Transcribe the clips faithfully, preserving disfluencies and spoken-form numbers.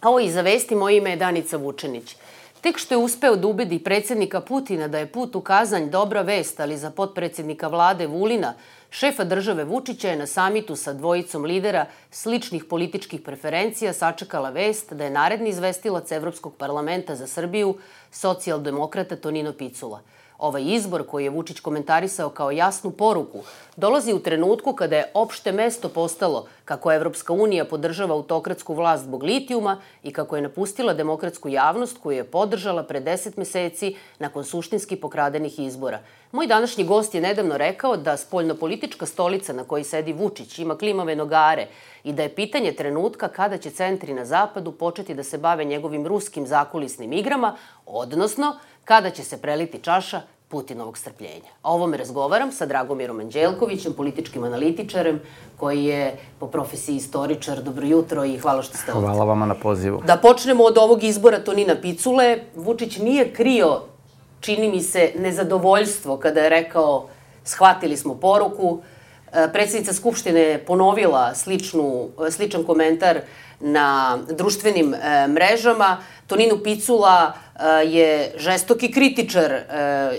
Ovo i za vesti, moje ime je Danica Vučenić. Tek što je uspeo da ubedi predsjednika Putina da je put u Kazanj dobra vest, ali za potpredsjednika vlade Vulina, šefa države Vučića je na samitu sa dvojicom lidera sličnih političkih preferencija sačekala vest da je naredni izvestilac Evropskog parlamenta za Srbiju socijaldemokrata Tonino Picula. Ovaj izbor, koji je Vučić komentarisao kao jasnu poruku, dolazi u trenutku kada je opšte mesto postalo kako Evropska unija podržava autokratsku vlast zbog litijuma i kako je napustila demokratsku javnost koju je podržala pre deset meseci nakon suštinski pokradenih izbora. Moj današnji gost je nedavno rekao da spoljnopolitička stolica na kojoj sedi Vučić ima klimave nogare i da je pitanje trenutka kada će centri na zapadu početi da se bave njegovim ruskim zakulisnim igrama, odnosno kada će se preliti čaša Putinovog strpljenja. O ovome razgovaram sa Dragomirom Anđelkovićem, političkim analitičarem, koji je po profesiji istoričar. Dobro jutro i hvala što ste ovdje. Hvala vama na pozivu. Da počnemo od ovog izbora Tonina Picule. Vučić nije krio, čini mi se, nezadovoljstvo kada je rekao shvatili smo poruku. Predsjednica Skupštine je ponovila sličnu, sličan komentar na društvenim mrežama. Tonino Picula je žestoki kritičar,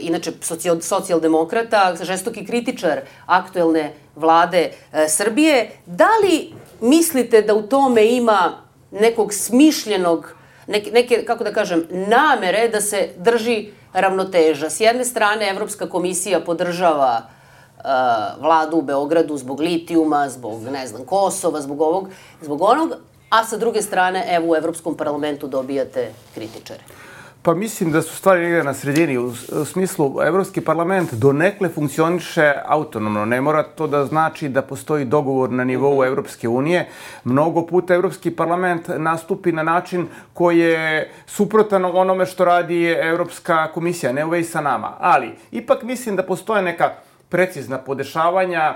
inače socijaldemokrata, žestoki kritičar aktuelne vlade Srbije. Da li mislite da u tome ima nekog smišljenog, neke, kako da kažem, namere da se drži ravnoteža? S jedne strane, Evropska komisija podržava vladu u Beogradu zbog litijuma, zbog, ne znam, Kosova, zbog ovog, zbog onog, a sa druge strane, evo, u Evropskom parlamentu dobijate kritičare. Pa mislim da su stvari negdje na sredini. U smislu, Evropski parlament donekle funkcioniše autonomno. Ne mora to da znači da postoji dogovor na nivou Evropske unije. Mnogo puta Evropski parlament nastupi na način koji je suprotan onome što radi Evropska komisija, ne uvej sa nama. Ali, ipak mislim da postoje neka precizna podešavanja,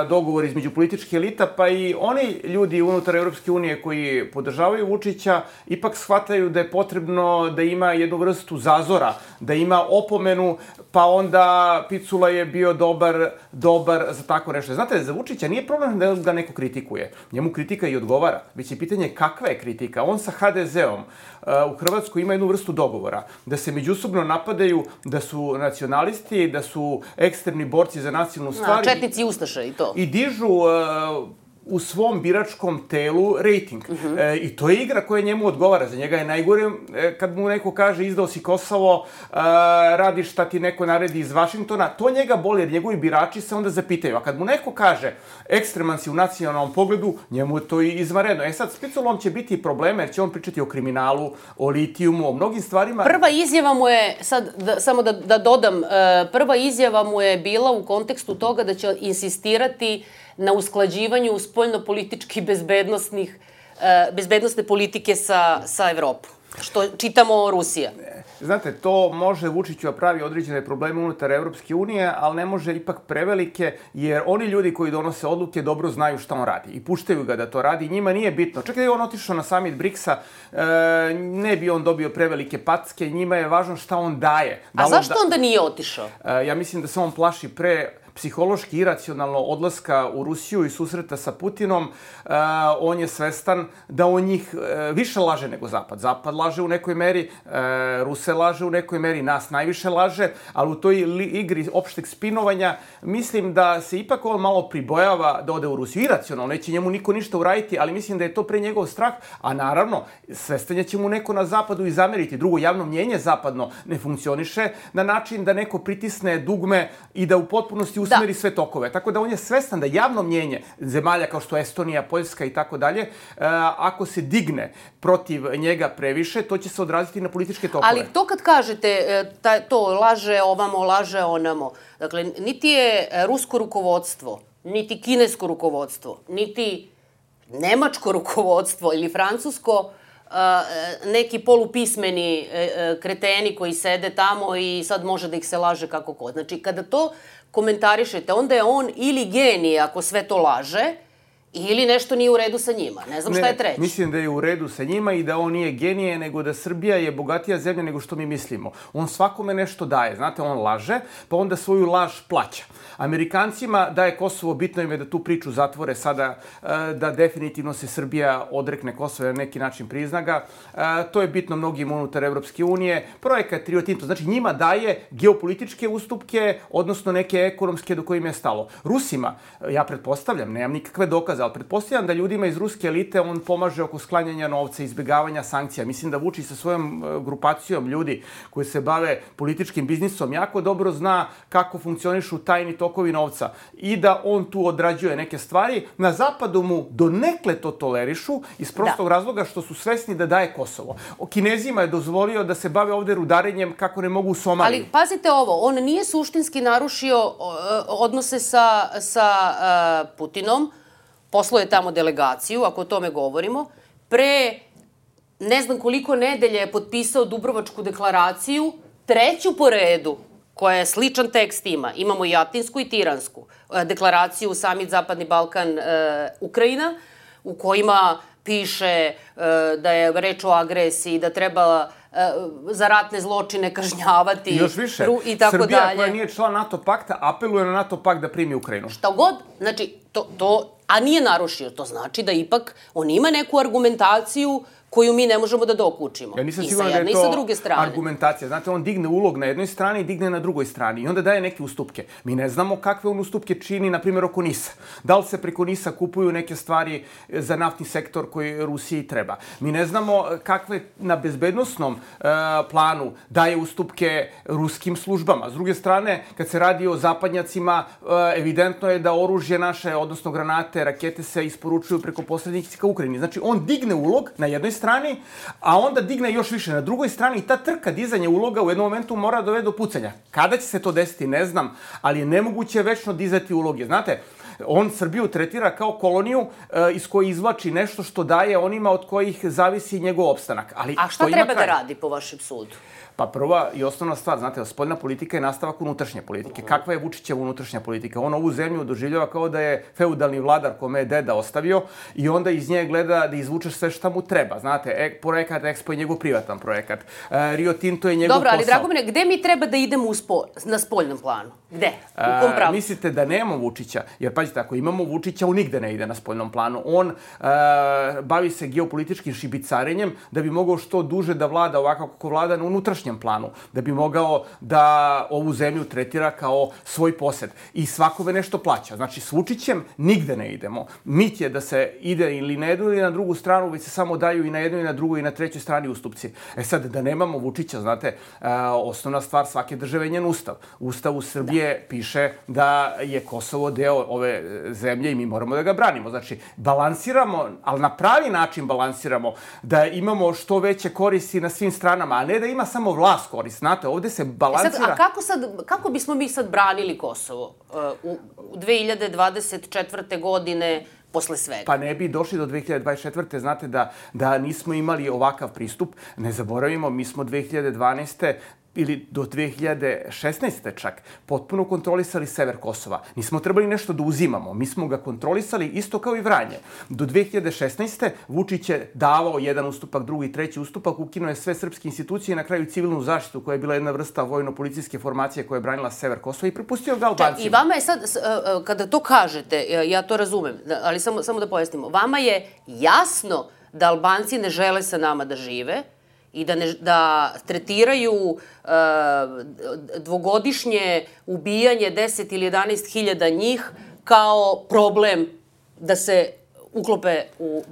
dogovor između političke elita, pa i oni ljudi unutar Evropske unije koji podržavaju Vučića ipak shvataju da je potrebno da ima jednu vrstu zazora, da ima opomenu, pa onda Picula je bio dobar, dobar za tako nešto. Znate, za Vučića nije problem da ga neko kritikuje. Njemu kritika i odgovara. Već je pitanje kakva je kritika. On sa ha de zeom u Hrvatskoj ima jednu vrstu dogovora, da se međusobno napadaju, da su nacionalisti, da su ekstremni borci za nacionalnu stvar. Četnici i ustaše i to. I dižu u svom biračkom telu rejting. I to je igra koja njemu odgovara. Za njega je najgore kad mu neko kaže izdao si Kosovo, radiš šta ti neko naredi iz Vašingtona. To njega boli jer njegovi birači se onda zapitaju. A kad mu neko kaže ekstreman si u nacionalnom pogledu, njemu je to i izvanredno. E sad, s Piculom će biti probleme jer će on pričati o kriminalu, o litijumu, o mnogim stvarima. Prva izjava mu je, sad samo da, da dodam, prva izjava mu je bila u kontekstu toga da će insistirati na usklađivanju spoljnopolitički bezbednostnih, bezbednostne politike sa, sa Evropom. Što čitamo Rusija. Znate, to može Vučiću da pravi određene probleme unutar Evropske unije, ali ne može ipak prevelike, jer oni ljudi koji donose odluke dobro znaju šta on radi i puštaju ga da to radi. Njima nije bitno. Čak da je on otišao na summit briksa, ne bi on dobio prevelike packe, njima je važno šta on daje. A zašto onda nije otišao? Ja mislim da se on plaši pre psihološki iracionalno odlaska u Rusiju i susreta sa Putinom. On je svestan da on njih više laže nego Zapad. Zapad laže u nekoj meri, Ruse laže u nekoj meri, nas najviše laže, ali u toj igri opšteg spinovanja mislim da se ipak on malo pribojava da ode u Rusiju. Iracionalno, neće njemu niko ništa uraditi, ali mislim da je to pre njegov strah, a naravno, svestan će mu neko na Zapadu i zameriti. Drugo, javno mnjenje zapadno ne funkcioniše na način da neko pritisne dugme i da u potpunosti usmeri sve tokove. Tako da on je svestan da javno mnjenje zemalja kao što je Estonija, Poljska i tako dalje, ako se digne protiv njega previše, to će se odraziti na političke tokove. Ali to kad kažete, to laže ovamo, laže onamo, dakle, niti je rusko rukovodstvo, niti kinesko rukovodstvo, niti nemačko rukovodstvo ili francusko, neki polupismeni kreteni koji sede tamo i sad može da ih se laže kako kod. Znači, kada to komentarišete, onda je on ili genije ako sve to laže, Ili nešto nije u redu sa njima. Ne znam šta je treće. Ne, mislim da je u redu sa njima i da on nije genije, nego da Srbija je bogatija zemlja nego što mi mislimo. On svakome nešto daje. Znate, on laže, pa onda svoju laž plaća. Amerikancima daje Kosovo, bitno im je da tu priču zatvore sada, da definitivno se Srbija odrekne Kosova na neki način prizna ga. To je bitno mnogim unutar Evropske unije. Projekat Rio Tinto, znači njima daje geopolitičke ustupke, odnosno neke ekonomske do kojim je stalo. Rusima, ja pretpostavljam, nemam nikakve dokaze, ali pretpostavljam da ljudima iz ruske elite on pomaže oko sklanjanja novca, izbjegavanja sankcija. Mislim da Vučić sa svojom grupacijom ljudi koji se bave političkim biznisom jako dobro zna kako funkcionišu tajni tokovi novca i da on tu odrađuje neke stvari. Na zapadu mu donekle to tolerišu iz prostog razloga što su svesni da daje Kosovo. O Kinezima je dozvolio da se bave ovde rudarenjem kako ne mogu u Somaliji. Ali pazite ovo, on nije suštinski narušio odnose sa, sa uh, Putinom, poslao je tamo delegaciju, ako o tome govorimo, pre ne znam koliko nedelje je potpisao Dubrovačku deklaraciju, treću po redu, koja je sličan tekst ima. Imamo i Atinsku i Tiransku deklaraciju, Samit Zapadni Balkan, Ukrajina, u kojima piše da je reč o agresiji, da treba za ratne zločine kažnjavati i još više, i tako Srbija dalje. koja nije član NATO pakta apeluje na NATO pakt da primi Ukrajinu. Šta god, znači, to, to, a nije narušio, to znači da ipak on ima neku argumentaciju koju mi ne možemo da dokučimo. Ja nisam I sa siguran da jedne je i sa to druge strane. argumentacija. Znate, on digne ulog na jednoj strani i digne na drugoj strani i onda daje neke ustupke. Mi ne znamo kakve on ustupke čini, na primjer, oko NIS-a. Da li se preko NIS-a kupuju neke stvari za naftni sektor koji Rusiji treba. Mi ne znamo kakve na bezbednostnom uh, planu daje ustupke ruskim službama. S druge strane, kad se radi o zapadnjacima, uh, evidentno je da oružje naše, odnosno granate, rakete se isporučuju preko posrednika Ukrajini. Znači, on digne ulog na jednoj strani, a onda digne još više na drugoj strani i ta trka dizanja uloga u jednom momentu mora dovede do pucanja. Kada će se to desiti, ne znam, ali je nemoguće večno dizati uloge. Znate, on Srbiju tretira kao koloniju e, iz koje izvlači nešto što daje onima od kojih zavisi njegov opstanak. Ali a šta treba da radi po vašem sudu? Pa prva i osnovna stvar, znate, spoljna politika je nastavak unutrašnje politike. Kakva je Vučićeva unutrašnja politika? On ovu zemlju doživljava kao da je feudalni vladar kome je deda ostavio i onda iz nje gleda da izvučeš sve šta mu treba. Znate, e, projekat Expo je njegov privatan projekat. E, Rio Tinto je njegov Dobro, posao. ali Dragomire, gde mi treba da idemo u spo, na spoljnom planu? Gde? U kom pravu? Mislite da nemamo Vučića? Jer, pazite, ako imamo Vučića, on nigde ne ide na spoljnom planu. On e, bavi se geopolitičkim šibicarenjem da bi mogao što duže da vlada ovako kako vlada na unutrašnjem planu, da bi mogao da ovu zemlju tretira kao svoj posed. I svakome nešto plaća. Znači, s Vučićem nigde ne idemo. Mit je da se ide ili na jednu ili na drugu stranu, već se samo daju i na jednoj i na drugoj i na trećoj strani ustupci. E sad, da nemamo Vučića, znate, osnovna stvar svake države je njen ustav. Ustav u Srbije piše da je Kosovo deo ove zemlje i mi moramo da ga branimo. Znači, balansiramo, ali na pravi način balansiramo, da imamo što veće koristi na svim stranama, a ne da ima samo vlast korist. Znate, ovde se balansira... Sad, a kako, sad, kako bismo mi sad branili Kosovo uh, u dve hiljade dvadeset četvrte. godine posle svega? Pa ne bi došli do dve hiljade dvadeset četvrte. Znate da, da nismo imali ovakav pristup. Ne zaboravimo, mi smo dve hiljade dvanaeste ili do dve hiljade šesnaeste čak, potpuno kontrolisali sever Kosova. Nismo trebali nešto da uzimamo. Mi smo ga kontrolisali isto kao i Vranje. Do dve hiljade šesnaeste. Vučić je davao jedan ustupak, drugi, treći ustupak, ukinuo je sve srpske institucije i na kraju civilnu zaštitu, koja je bila jedna vrsta vojno-policijske formacije koja je branila sever Kosova i prepustio ga Albancima. I vama je sad, kada to kažete, ja to razumem, ali samo, samo da pojasnimo, vama je jasno da Albanci ne žele sa nama da žive, i da, ne, da tretiraju uh, dvogodišnje ubijanje deset ili jedanaest hiljada njih kao problem da se uklope u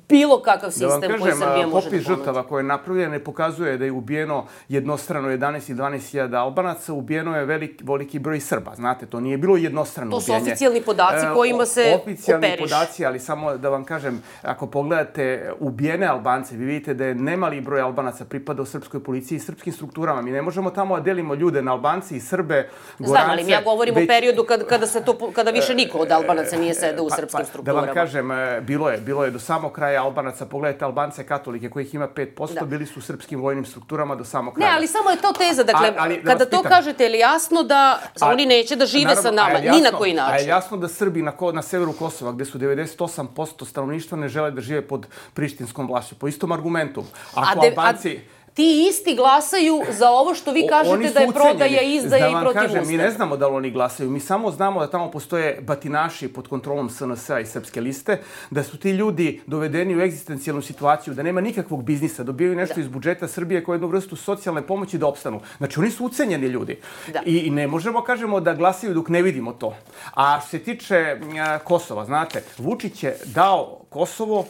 bilo kakav sistem koji Srbija može da ponudi. Popis žrtava koje je napravljeno ne pokazuje da je ubijeno jednostrano jedanaest i dvanaest hiljada Albanaca, ubijeno je velik, veliki broj Srba. Znate, to nije bilo jednostrano ubijanje. To su oficijalni podaci kojima se operiš. Oficijalni podaci, ali samo da vam kažem, ako pogledate ubijene Albance, vi vidite da je nemali broj Albanaca pripadao srpskoj policiji i srpskim strukturama. Mi ne možemo tamo da delimo ljude na Albanci i Srbe, Gorance. Znam, ali ja govorim već... o periodu kada, kada, se to, kada više niko od Albanaca nije sedao u srpskim strukturama. Da vam kažem, bilo je, bilo je do samog kraja Albanaca, pogledajte Albance katolike kojih ima pet posto, bili su u srpskim vojnim strukturama do samog kraja. Ne, ali samo je to teza. Dakle, kada to kažete, je li jasno da oni neće da žive sa nama, ni na koji način? A je jasno da Srbi na severu Kosova, gde su devedeset osam posto stanovništva, ne žele da žive pod prištinskom vlašću, po istom argumentu. Ako Albanci... Ti isti glasaju za ovo što vi kažete da je prodaja, izdaja i protiv Ustava. Mi ne znamo da li oni glasaju. Mi samo znamo da tamo postoje batinaši pod kontrolom S N S-a i Srpske liste, da su ti ljudi dovedeni u egzistencijalnu situaciju, da nema nikakvog biznisa, dobijaju nešto iz budžeta Srbije kao jednu vrstu socijalne pomoći da opstanu. Znači, oni su ucenjeni ljudi. I ne možemo, kažemo, da glasaju dok ne vidimo to. A što se tiče Kosova, znate, Vučić je dao Kosovo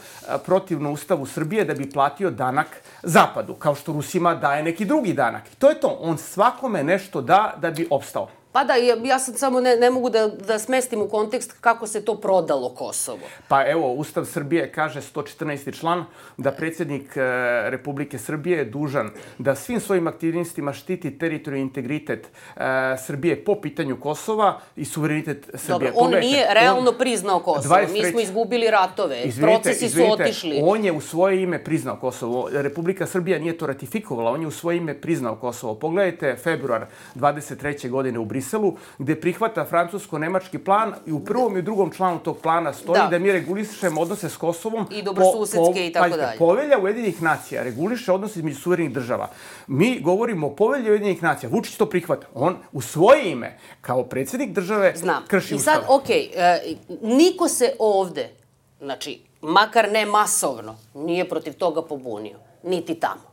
protivno Ustavu Srbije da bi platio danak Zapadu, kao što Rusima daje neki drugi danak. To je to. On svakome nešto da da bi opstao. Pa da, ja sad samo ne mogu da smestim u kontekst kako se to prodalo Kosovo. Pa evo, Ustav Srbije kaže sto četrnaesti član da predsjednik Republike Srbije je dužan da svim svojim aktivnostima štiti teritorijalni integritet Srbije po pitanju Kosova i suverenitet Srbije. Dobro, on nije realno priznao Kosovo. Mi smo izgubili ratove, procesi su otišli. On je u svoje ime priznao Kosovo. Republika Srbija nije to ratifikovala, on je u svoje ime priznao Kosovo. Pogledajte februar dvadeset treće godine u Briselu, gde prihvata francusko-nemački plan i u prvom i u drugom članu tog plana stoji da mi regulišemo odnose s Kosovom. I dobrosusedske i tako dalje. Povelja Ujedinjenih nacija reguliše odnose između suverenih država. Mi govorimo o povelji Ujedinjenih nacija. Vučić to prihvata. On u svoje ime, kao predsjednik države, krši Ustav. I sad, okej, niko se ovde, znači, makar ne masovno, nije protiv toga pobunio. Niti tamo.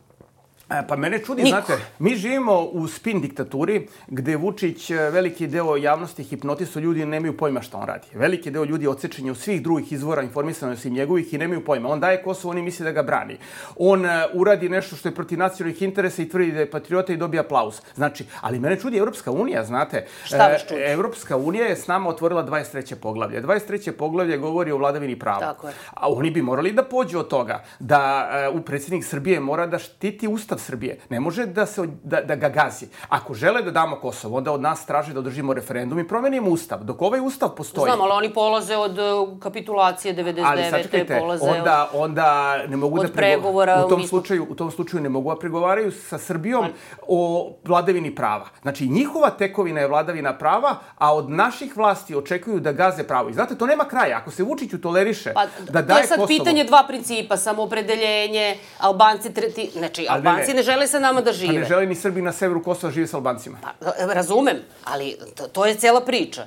Pa mene čudi, znate, mi živimo u spin diktaturi gde Vučić veliki deo javnosti hipnotisao, ljudi nemaju pojma šta on radi. Veliki deo ljudi odsečen je u svih drugih izvora informisano osim njegovih i nemaju pojma. On daje Kosovo, oni misle da ga brani. On uradi nešto što je protiv nacionalnih interesa i tvrdi da je patriota i dobija aplauz. Znači, ali mene čudi Evropska unija, znate. Šta vas čudi? Evropska unija je s nama otvorila dvadeset treće poglavlje. dvadeset treće poglavlje govori o vladavini prava. Tako je. A oni bi morali da pođu od toga da u predsjednik Srbije mora da štiti Ustav Srbije. Ne može da, se, da, da ga gazi. Ako žele da damo Kosovo, onda od nas traže da održimo referendum i promenimo Ustav. Dok ovaj Ustav postoji... Znam, ali oni polaze od kapitulacije devedeset devete. Ali sačekajte, polaze onda, onda ne mogu od da pregovora. U tom, slučaju, u tom slučaju ne mogu da pregovaraju sa Srbijom o vladavini prava. Znači, njihova tekovina je vladavina prava, a od naših vlasti očekuju da gaze pravo. I znate, to nema kraja. Ako se Vučiću toleriše pa, da daje Kosovo... To je sad pitanje dva principa, samoopredeljenje, Albanci... Treti, znači, Albanci ne, ne žele sa nama da žive. Pa ne žele ni Srbi na severu Kosova žive s Albancima. Pa, razumem, ali to, to je cela priča.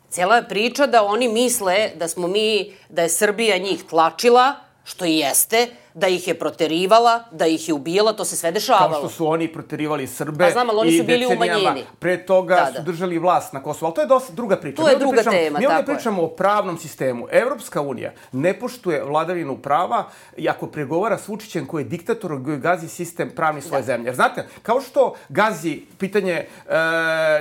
Cela je priča da oni misle da smo mi, da je Srbija njih tlačila, što i jeste, da ih je proterivala, da ih je ubijala, to se sve dešavalo. Kao što su oni proterivali Srbe. A znam, ali oni su bili u manjini. Pre toga da, da. su držali vlast na Kosovu. Ali to je dosta druga priča. To je druga pričamo, tema, mi ovdje tako pričamo je. o pravnom sistemu. Evropska unija ne poštuje vladavinu prava i ako pregovara s Vučićem koji je diktator, koji gazi sistem pravni svoje da. zemlje. Jer znate, kao što gazi pitanje e,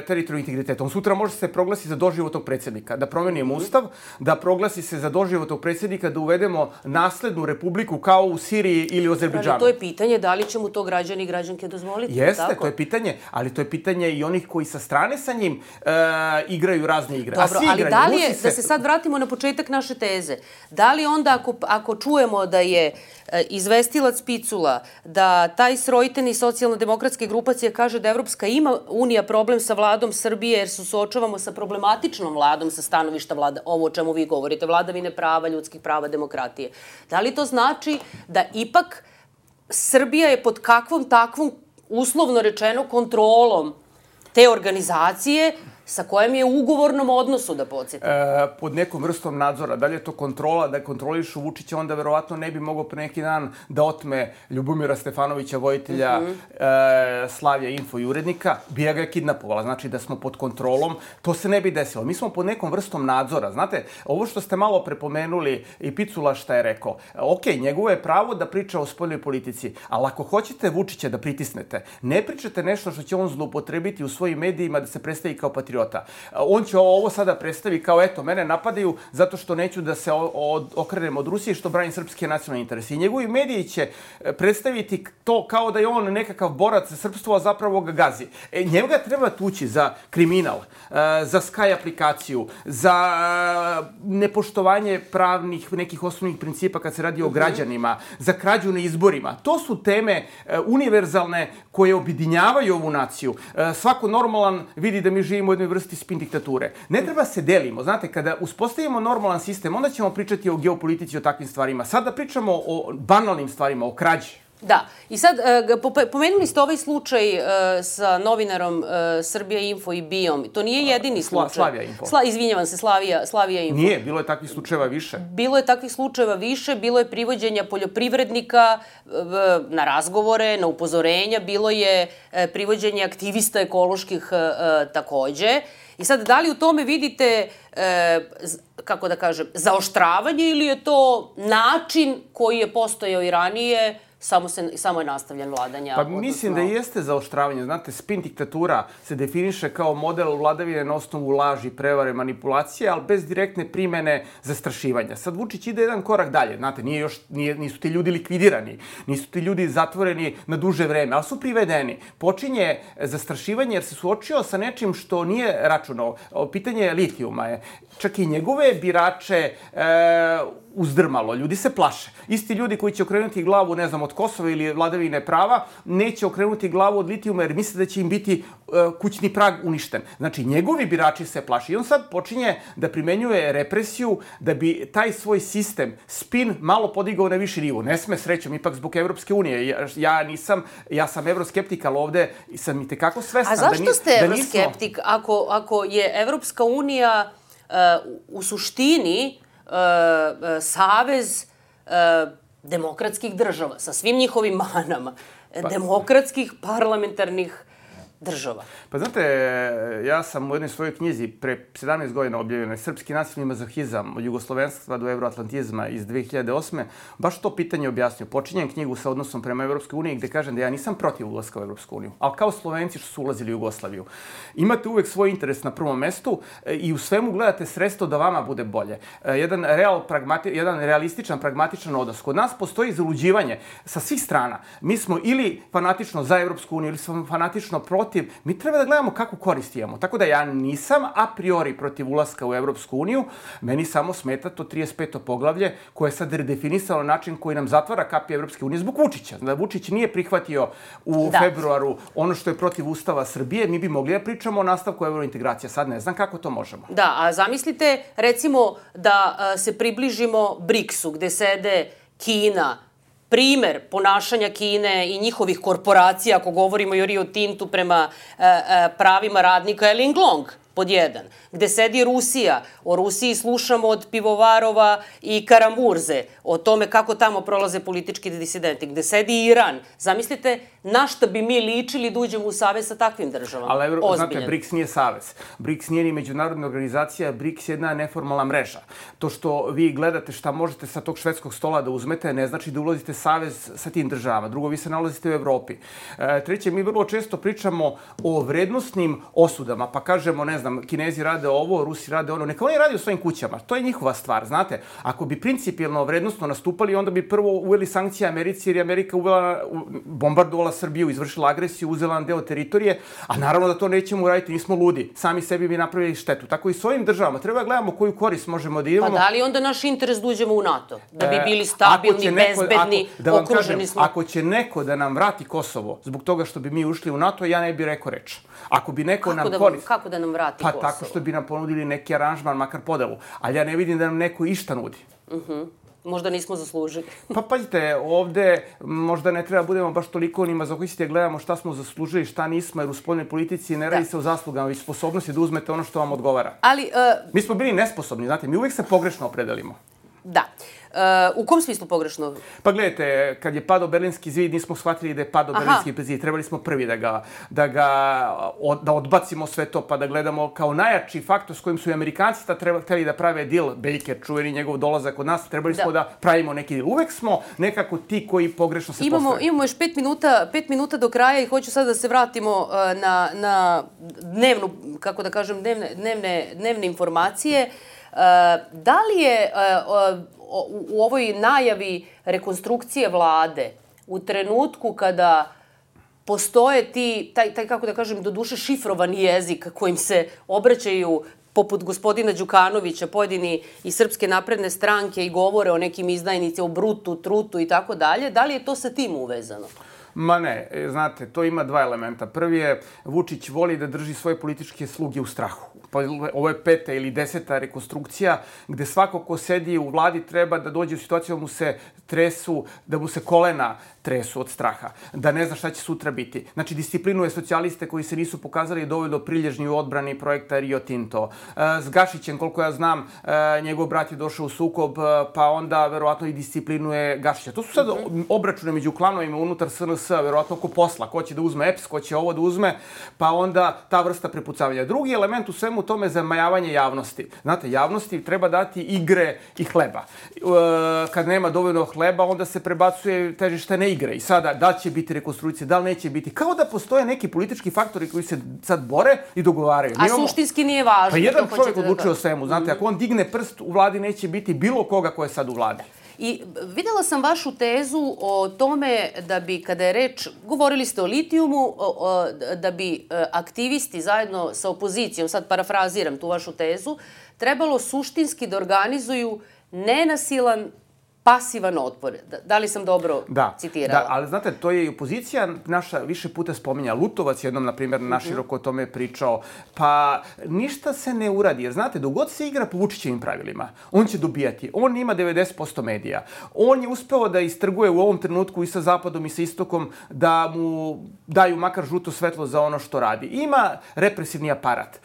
teritorijalnog integriteta, on sutra može se proglasi za doživotnog predsjednika, da promenimo ustav, da proglasi se za doživotnog predsjednika, da uvedemo naslednu republiku kao u Siriji ili u Azerbejdžanu. To je pitanje da li će mu to građani i građanke dozvoliti. Jeste, tako? To je pitanje, ali to je pitanje i onih koji sa strane sa njim e, igraju razne igre. Dobro, A svi ali igraju, da li je, se... da se sad vratimo na početak naše teze, da li onda ako, ako čujemo da je e, izvestilac Picula, da taj srojteni socijalno-demokratske grupacije kaže da Evropska ima unija problem sa vladom Srbije jer se suočavamo sa problematičnom vladom sa stanovišta vlada, ovo o čemu vi govorite, vladavine prava, ljudskih prava, demokratije. Da li to znači da ipak Srbija je pod kakvom takvom, uslovno rečeno, kontrolom te organizacije sa kojom je u ugovornom odnosu, da podsjetim? E, pod nekom vrstom nadzora. Da li je to kontrola, da kontrolišu Vučića, onda verovatno ne bi mogao pre neki dan da otme Ljubomira Stefanovića, vojitelja mm-hmm. e, Slavija Info i urednika, bi ja ga kidnapovala. Znači da smo pod kontrolom. To se ne bi desilo. Mi smo pod nekom vrstom nadzora. Znate, ovo što ste malo prepomenuli i Picula šta je rekao. Ok, njegovo je pravo da priča o spoljnoj politici, ali ako hoćete Vučića da pritisnete, ne pričate nešto što će on zloupotrebiti u svojim medijima da se predstavi kao patriot. patriota. On će ovo sada predstavi kao, eto, mene napadaju zato što neću da se okrenem od Rusije, što branim srpske nacionalne interese. I njegovi mediji će predstaviti to kao da je on nekakav borac za srpstvo, a zapravo ga gazi. E, njega treba tući za kriminal, za Sky aplikaciju, za nepoštovanje pravnih nekih osnovnih principa kad se radi o građanima, za krađu na izborima. To su teme univerzalne koje objedinjavaju ovu naciju. Svako normalan vidi da mi živimo u jednoj vrsti spin diktature. Ne treba se delimo. Znate, kada uspostavimo normalan sistem, onda ćemo pričati o geopolitici, o takvim stvarima. Sada pričamo o banalnim stvarima, o krađi. Da. I sad, pomenuli ste ovaj slučaj sa novinarom Srbija Info i Bijom. To nije jedini slučaj. Slavija Info. Izvinjavam se, Slavija Info. Nije, bilo je takvih slučajeva više. Bilo je takvih slučajeva više, bilo je privođenja poljoprivrednika na razgovore, na upozorenja, bilo je privođenje aktivista ekoloških takođe. I sad, da li u tome vidite, kako da kažem, zaoštravanje ili je to način koji je postojao i ranije, samo je nastavljen vladanja? Pa mislim da jeste zaoštravanje. Znate, spin diktatura se definiše kao model vladavine na osnovu laži, prevare, manipulacije, ali bez direktne primene zastrašivanja. Sad Vučić ide jedan korak dalje. Znate, nisu ti ljudi likvidirani, nisu ti ljudi zatvoreni na duže vreme, ali su privedeni. Počinje zastrašivanje jer se suočio sa nečim što nije računao. Pitanje litijuma je. Čak i njegove birače uzdrmalo. Ljudi se plaše. Isti ljudi koji će okrenuti glavu, ne znam, od Kosova ili vladavine prava, neće okrenuti glavu od litijuma jer misle da će im biti kućni prag uništen. Znači, njegovi birači se plaše. I on sad počinje da primenjuje represiju da bi taj svoj sistem, spin, malo podigao na viši nivo. Ne sme, srećom, ipak zbog Evropske unije. Ja nisam, ja sam evroskeptik, ali ovde sam i tekako svestan da nismo... A zašto ste evroskeptik ako je Evropska unija u suštini savez demokratskih država, sa svim njihovim manama, demokratskih parlamentarnih država? Pa znate, ja sam u jednoj svojoj knjizi pre sedamnaest godina objavljenoj Srpski nacionalni mazohizam od jugoslovenstva do euroatlantizma iz dve hiljade osme baš to pitanje objasnio. Počinjem knjigu sa odnosom prema Evropskoj uniji gde kažem da ja nisam protiv ulaska u Evropsku uniju, ali kao Slovenci što su ulazili u Jugoslaviju. Imate uvek svoj interes na prvom mestu i u svemu gledate sredstvo da vama bude bolje. Jedan, real, pragmati, jedan realističan, pragmatičan odnos. Kod nas postoji zaluđivanje sa svih strana. Mi smo ili fanatično za Evropsku uniju ili smo fanatično protiv. Mi treba da gledamo kakvu korist imamo. Tako da ja nisam a priori protiv ulaska u Evropsku uniju. Meni samo smeta to trideset peto poglavlje koje je sad redefinisalo način koji nam zatvara kapije Evropske unije zbog Vučića. Da Vučić nije prihvatio u februaru ono što je protiv Ustava Srbije, mi bi mogli da pričamo o nastavku evrointegracije. Sad ne znam kako to možemo. Da, a zamislite recimo da se približimo briksu gde sede Kina, primer ponašanja Kine i njihovih korporacija, ako govorimo i o Rio Tintu prema pravima radnika, je Linglong, pod jedan. Gde sedi Rusija. O Rusiji slušamo od pivovarova i karamurze. O tome kako tamo prolaze politički disidenti. Gde sedi Iran. Zamislite na šta bi mi ličili da uđemo u savez sa takvim državama. Ali, znate, BRICS nije savez. BRICS nije ni međunarodna organizacija. BRICS je jedna neformalna mreža. To što vi gledate šta možete sa tog švedskog stola da uzmete, ne znači da ulazite savez sa tim državama. Drugo, vi se nalazite u Evropi. Treće, mi vrlo često pričamo o vrednostnim osudama, pa kažemo, ne znam, Kinezi rade ovo, Rusi rade ono. Neka oni radi u svojim kućama. To je njihova stvar, znate. Ako bi principijelno vrednostno nastupali, onda bi prvo uveli sankcije Americi, jer je Amerika uvela, bombardovala Srbiju, izvršila agresiju, uzela nam deo teritorije, a naravno da to nećemo uraditi, nismo ludi. Sami sebi bi napravili štetu. Tako i s ovim državama. Treba da gledamo koju korist možemo da imamo. Pa da li onda naš interes da uđemo u NATO? Da bi bili stabilni, bezbedni, okruženi smo? Ako će neko da nam vrati Kosovo zbog toga što bi mi ušli u NATO, ja ne bih rekao reč. Ako bi neko nam korist... Kako da nam vrati Kosovo? Pa tako što bi nam ponudili neki aranžman, makar podelu. Ali ja ne vidim da nam neko išta nudi. Možda nismo zaslužili. Pa pazite, ovde možda ne treba budemo baš toliko ni mazohisti, gledamo šta smo zaslužili, šta nismo, jer u spoljnoj politici ne radi se o zaslugama, već sposobnosti da uzmete ono što vam odgovara. Ali... Mi smo bili nesposobni, znate, mi uvek se pogrešno opredelimo. Da. U kom smislu pogrešno? Pa gledajte, kad je padao Berlinski zid, nismo shvatili da je padao Berlinski zid. Trebali smo prvi da ga, da ga, da odbacimo sve to, pa da gledamo kao najjači faktor s kojim su i Amerikanci hteli da prave deal, Baker, čuveni njegov dolazak od nas, trebali smo da pravimo neki deal. Uvek smo nekako ti koji pogrešno se postavljaju. Imamo još pet minuta, pet minuta do kraja i hoću sad da se vratimo na, na dnevnu, kako da kažem, dnevne, dnevne, dnevne informacije. Da li je u ovoj najavi rekonstrukcije vlade, u trenutku kada postoje ti, taj, taj kako da kažem, doduše šifrovani jezik kojim se obraćaju poput gospodina Đukanovića, pojedini iz Srpske napredne stranke i govore o nekim izdajnicima, o brutu, trutu i tako dalje, da li je to sa tim uvezano? Ma ne, znate, to ima dva elementa. Prvi je, Vučić voli da drži svoje političke sluge u strahu. Pa ovo je peta ili deseta rekonstrukcija gde svako ko sedi u vladi treba da dođe u situaciju da mu se tresu, da mu se kolena tresu od straha, da ne zna šta će sutra biti. Znači, disciplinuje socijaliste koji se nisu pokazali dovoljno prilježni u odbrani projekta Rio Tinto. S Gašićem, koliko ja znam, njegov brat je došao u sukob, pa onda verovatno i disciplinuje Gašića. To su sad obračune među klanovima unutar S N S, verovatno oko posla. Ko će da uzme E P S, ko će ovo da uzme, pa onda ta vrsta prepucavanja. Drugi element u svemu tome je zamajavanje javnosti. Znate, javnosti treba dati igre i hleba. Kad nema dovoljno hleba, onda se prebacuje težište ne igre. I sada, da li će biti rekonstrukcije, da li neće biti. Kao da postoje neki politički faktori koji se sad bore i dogovaraju. A suštinski nije važno. Pa jedan čovjek odlučuje o svemu. Znate, ako on digne prst, u vladi neće biti bilo koga ko je sad u vladi. I videla sam vašu tezu o tome da bi, kada je reč, govorili ste o litijumu, da bi aktivisti zajedno sa opozicijom, sad parafraziram tu vašu tezu, trebalo suštinski da organizuju nenasilan, pasivan otpor. Da li sam dobro citirala? Da, ali znate, to je i opozicija naša više puta spominja. Lutovac jednom, na primjer, naširoko o tome pričao. Pa ništa se ne uradi, jer znate, dok god se igra po Vučićevim pravilima, on će dobijati. On ima devedeset posto medija. On je uspeo da istrguje u ovom trenutku i sa Zapadom i sa Istokom da mu daju makar žuto svetlo za ono što radi. Ima represivni aparat.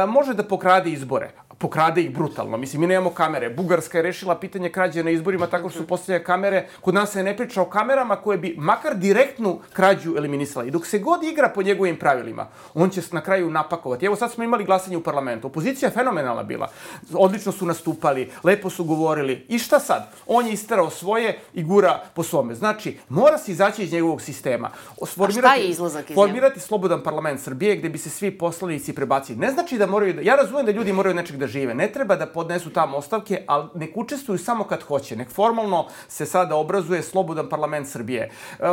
Može da pokrade izbore. Pokrade ih brutalno. Mislim, mi nemamo kamere. Bugarska je rešila pitanje krađe na izborima tako što su postavljene kamere. Kod nas se ne priča o kamerama koje bi makar direktnu krađu eliminisala. I dok se god igra po njegovim pravilima, on će na kraju napakovati. Evo sad smo imali glasanje u parlamentu. Opozicija je fenomenalna bila. Odlično su nastupali, lepo su govorili. I šta sad? On je isterao svoje i gura po svome. Znači, mora se izaći iz njegovog sistema. A šta je izlazak iz njega? Formirati slobodan parlament Srbije gde bi se svi poslanici prebacili. Ne znači da moraju... Ja razumijem da ljudi moraju nečeg da žive. Ne treba da podnesu tamo ostavke, ali nek učestvuju samo kad hoće. Nek formalno se sada obrazuje slobodan parlament Srbije.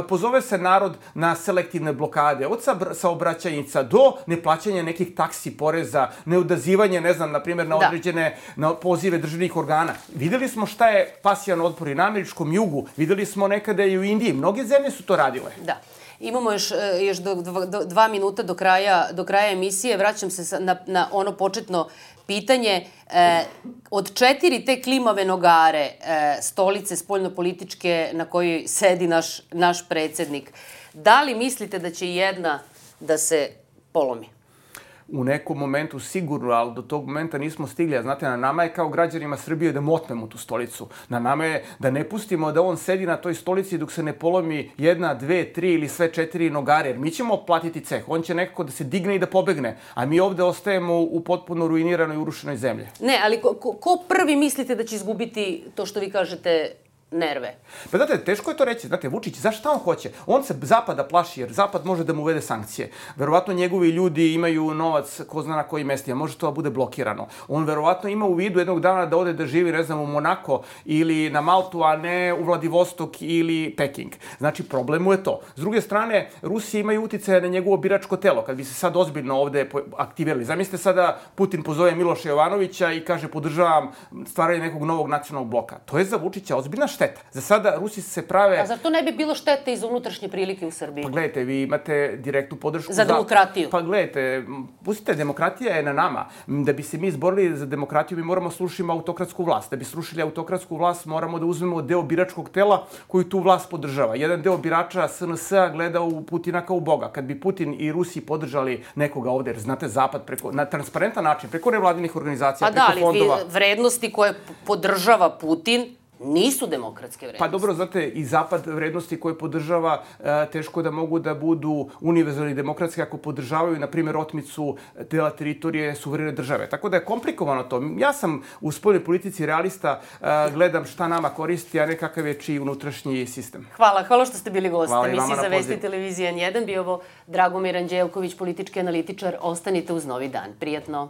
Pozove se narod na selektivne blokade, od saobraćajnica do neplaćanja nekih taksi, poreza, neodazivanje, ne znam, na primjer, na određene na pozive državnih organa. Videli smo šta je pasijan otpor i na američkom jugu. Videli smo nekada i u Indiji. Mnoge zemlje su to radile. Da. Imamo još, još do, do, dva minuta do kraja, do kraja emisije. Vraćam se na, na ono početno pitanje. E, od četiri te klimave nogare, e, stolice spoljnopolitičke na kojoj sedi naš, naš predsjednik, da li mislite da će jedna da se polomi? U nekom momentu sigurno, ali do tog momenta nismo stigli. Znate, na nama je kao građanima Srbije da motnemo tu stolicu. Na nama je da ne pustimo da on sedi na toj stolici dok se ne polomi jedna, dve, tri ili sve četiri nogare. Jer mi ćemo platiti ceh. On će nekako da se digne i da pobegne. A mi ovde ostajemo u potpuno ruiniranoj i urušenoj zemlji. Ne, ali ko, ko, ko prvi mislite da će izgubiti to što vi kažete nerve? Pa znate, teško je to reći. Znate, Vučić, zašto on hoće? On se Zapada plaši jer Zapad može da mu uvede sankcije. Verovatno njegovi ljudi imaju novac ko zna na koji mesti, a može to da bude blokirano. On verovatno ima u vidu jednog dana da ode da živi, ne znam, u Monako ili na Maltu, a ne u Vladivostok ili Peking. Znači, problem mu je to. S druge strane, Rusi imaju uticaje na njegovo biračko telo. Kad bi se sad ozbiljno ovde aktivirali. Zamislite sada Putin pozove Miloša Jovanovića i kaže podržavam stvaranje nekog novog nacionalnog bloka. To je za Vučića ozbiljna šteta. šteta. Za sada Rusi se prave... A zar to ne bi bilo štete iz unutrašnje prilike u Srbiji? Pa gledajte, vi imate direktnu podršku... Za demokratiju. Pa gledajte, pustite, demokratija je na nama. Da bi se mi izborili za demokratiju, mi moramo slušati autokratsku vlast. Da bi slušali autokratsku vlast, moramo da uzmemo deo biračkog tela koji tu vlast podržava. Jedan deo birača S N S-a gleda u Putina kao u Boga. Kad bi Putin i Rusi podržali nekoga ovde, jer znate, Zapad preko, na transparentan način, preko nevladinih organizacija, pa preko da, fondova... Pa da, ali vrednosti koje podržava Putin nisu demokratske vrednosti. Pa dobro, znate, i Zapad vrednosti koje podržava teško da mogu da budu univerzalni demokratski ako podržavaju, na primjer, otmicu dela teritorije suverene države. Tako da je komplikovano to. Ja sam u spoljnoj politici realista, gledam šta nama koristi, a ne kakav je čiji unutrašnji sistem. Hvala, hvala što ste bili gosti. Hvala i vama Emisiji na za Vesti pozivu. televizije N jedan bio ovo Dragomir Anđelković, politički analitičar. Ostanite uz Novi dan. Prijatno.